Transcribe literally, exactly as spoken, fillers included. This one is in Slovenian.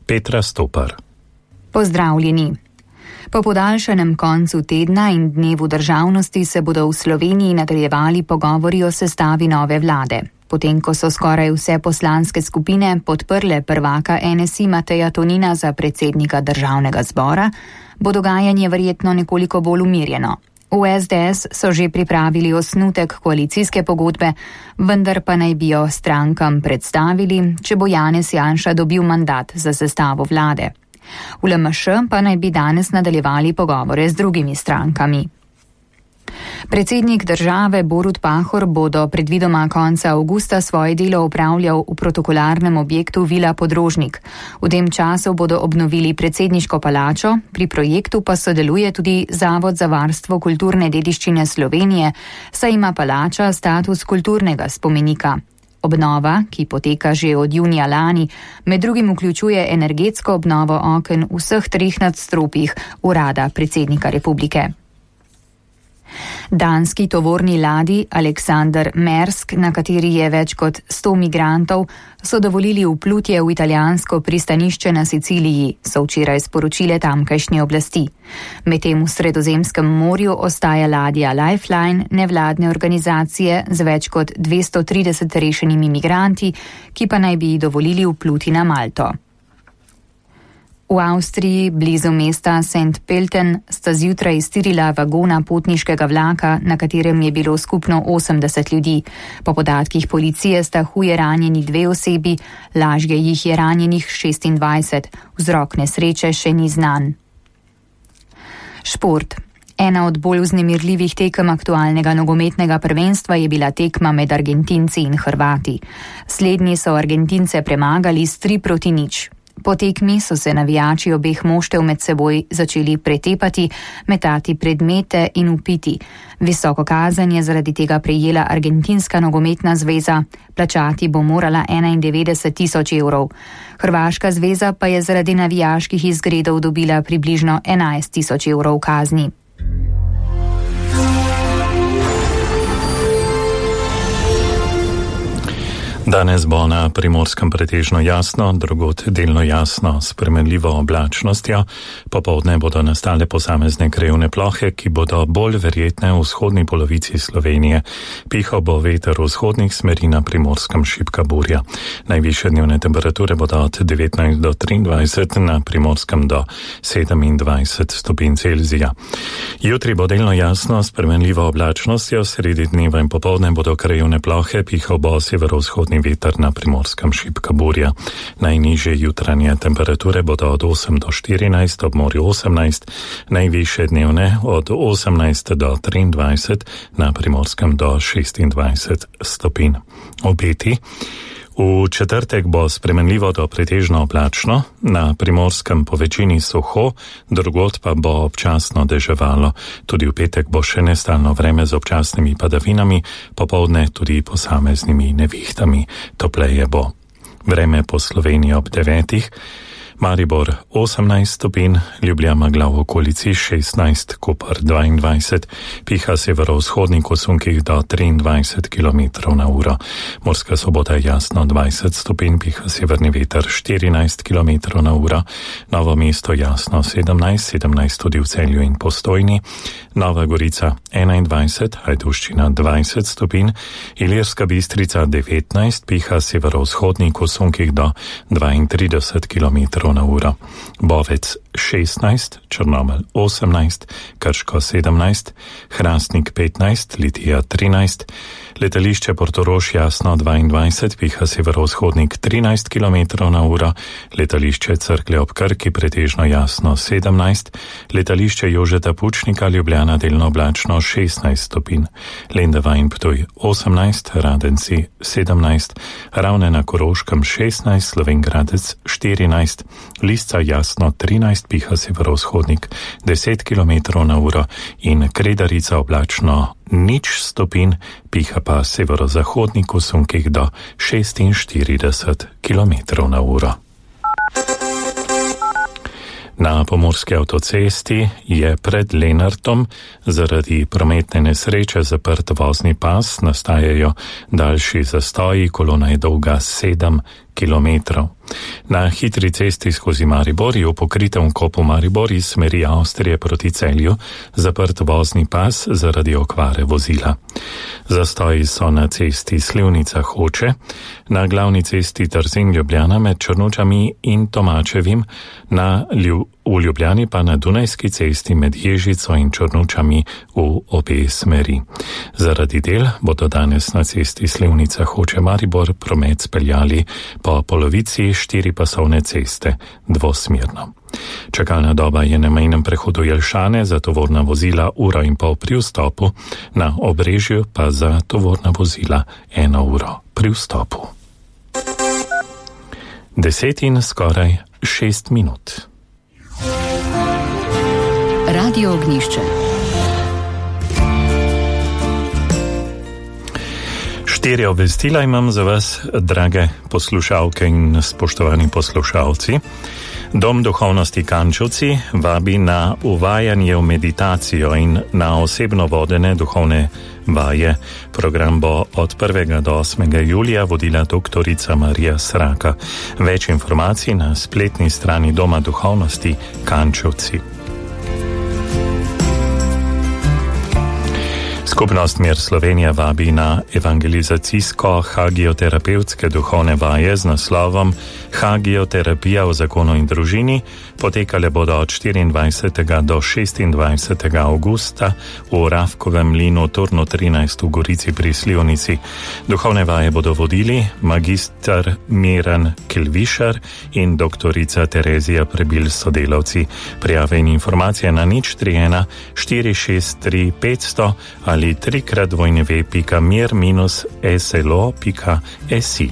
Petra Stopar. Pozdravljeni. Po podaljšanem koncu tedna in dnevu državnosti se bodo v Sloveniji nadaljevali pogovori o sestavi nove vlade. Potem, ko so skoraj vse poslanske skupine podprle prvaka N S I Mateja Tonina za predsednika državnega zbora, bo dogajanje verjetno nekoliko bolj umirjeno. V S D S so že pripravili osnutek koalicijske pogodbe, vendar pa naj bi jo strankam predstavili, če bo Janez Janša dobil mandat za sestavo vlade. V L M Š pa naj bi danes nadaljevali pogovore z drugimi strankami. Predsednik države Borut Pahor bo do predvidoma konca avgusta svoje delo opravljal v protokolarnem objektu Vila Podrožnik. V tem času bodo obnovili predsedniško palačo, pri projektu pa sodeluje tudi Zavod za varstvo kulturne dediščine Slovenije, saj ima palača status kulturnega spomenika. Obnova, ki poteka že od junija lani, med drugim vključuje energetsko obnovo oken v vseh treh nadstropjih urada predsednika republike. Danski tovorni ladji Alexander Maersk, na kateri je več kot sto migrantov, so dovolili vplutje v italijansko pristanišče na Siciliji, so včeraj sporočile tamkajšnje oblasti. Medtem v Sredozemskem morju ostaja ladja Lifeline nevladne organizacije z več kot dvesto trideset rešenimi migranti, ki pa naj bi dovolili vpluti na Malto. V Avstriji, blizu mesta Sankt Pölten, sta zjutraj iztirila vagona potniškega vlaka, na katerem je bilo skupno osemdeset ljudi. Po podatkih policije sta huje ranjeni dve osebi, lažje jih je ranjenih šestindvajset. Vzrok nesreče še ni znan. Šport. Ena od bolj vznemirljivih tekem aktualnega nogometnega prvenstva je bila tekma med Argentinci in Hrvati. Slednji so Argentince premagali s tri proti nič. Po tekmi so se navijači obeh moštev med seboj začeli pretepati, metati predmete in vpiti. Visoko kazen je zaradi tega prejela Argentinska nogometna zveza, plačati bo morala enaindevetdeset tisoč evrov. Hrvaška zveza pa je zaradi navijaških izgredov dobila približno enajst tisoč evrov kazni. Danes bo na Primorskem pretežno jasno, drugod delno jasno, s spremenljivo oblačnostjo. Popoldne bodo nastale posamezne krajevne plohe, ki bodo bolj verjetne v vzhodni polovici Slovenije. Pihal bo veter v vzhodnih smeri, na Primorskem šibka burja. Najvišje dnevne temperature bodo od devetnajst do triindvajset, na Primorskem do sedemindvajset stopinj Celzija. Jutri bo delno jasno, s spremenljivo oblačnostjo, sredi dneva in popoldne bodo krajevne plohe, pihal bo severovzhodni veter, na Primorskem šibka burja. Najnižje jutranje temperature bodo od osem do štirinajst, ob morju osemnajst, najvišje dnevne od osemnajst do triindvajset, na Primorskem do šestindvajset stopinj. Obeti. V četrtek bo spremenljivo do pretežno oblačno, na Primorskem po večini suho, drugod pa bo občasno deževalo. Tudi v petek bo še nestalno vreme z občasnimi padavinami, popoldne tudi posameznimi nevihtami. Topleje bo. Vreme po Sloveniji ob devetih. Maribor osemnajst stopinj, Ljubljana v okolici šestnajst, Koper dvaindvajset, piha severovzhodni kosunkih do triindvajset kilometrov na uro. Murska Sobota jasno dvajset stopinj, piha severni veter štirinajst kilometrov na uro. Novo mesto jasno sedemnajst, sedemnajst tudi v Celju in Postojni. Nova Gorica enaindvajset, Ajdovščina dvajset stopinj, Ilirska Bistrica devetnajst, piha severovzhodni kosunkih do dvaintrideset kilometrov na uro. Bovec šestnajst, Črnomelj osemnajst, Krško sedemnajst, Hrastnik petnajst, Litija trinajst, letališče Portorož jasno dvaindvajset, piha severovzhodnik trinajst kilometrov na uro, letališče Cerklje ob Krki pretežno jasno sedemnajst, letališče Jožeta Pučnika Ljubljana delno oblačno šestnajst stopinj, Lendava in Ptuj osemnajst, Radenci sedemnajst, Ravne na Koroškem šestnajst, Slovenj Gradec štirinajst, Lisca jasno trinajst, piha severovzhodnik deset kilometrov na uro in Kredarica oblačno nič stopinj, piha pa severozahodni kosunkih do šestinštirideset kilometrov na uro. Na pomurski avtocesti je pred Lenartom zaradi prometne nesreče zaprt vozni pas, nastajajo daljši zastoji, kolona je dolga sedem kilometrov. Na hitri cesti skozi Maribor je v pokritem kopu Maribor iz smeri Avstrije proti Celju zaprt vozni pas zaradi okvare vozila. Zastoji so na cesti Slivnica-Hoče, na glavni cesti Trzin-Ljubljana med Črnučami in Tomačevim, na Lju v Ljubljani pa na Dunajski cesti med Ježico in Črnučami v obe smeri. Zaradi del bodo danes na cesti Slivnica-Hoče-Maribor promet speljali po polovici štiripasovne ceste dvosmerno. Čakalna doba je na mejnem prehodu Jelšane za tovorna vozila uro in pol pri vstopu, na Obrežju pa za tovorna vozila eno uro pri vstopu. Deset in skoraj šest minut. Radio Ognjišče. Štiri obvestila imam za vas, drage poslušalke in spoštovani poslušalci. Dom duhovnosti Kančevci vabi na uvajanje v meditacijo in na osebno vodene duhovne vaje. Program bo od prvega do osmega julija vodila doktorica Marija Sraka. Več informacij na spletni strani Doma duhovnosti Kančevci. Skupnost Mir Slovenija vabi na evangelizacijsko-hagioterapevtske duhovne vaje z naslovom Hagioterapija v zakonu in družini. Potekale bodo od štiriindvajsetega do šestindvajsetega avgusta v Ravkovem mlinu Turnu trinajst v Gorici pri Slivnici. Duhovne vaje bodo vodili magister Miran Kilvišar in doktorica Terezija Prebil s sodelavci. Prijave in informacije na nič tri ena štiri šest tri petsto ali trikrat dvojne ve pika mir minus slo pika si.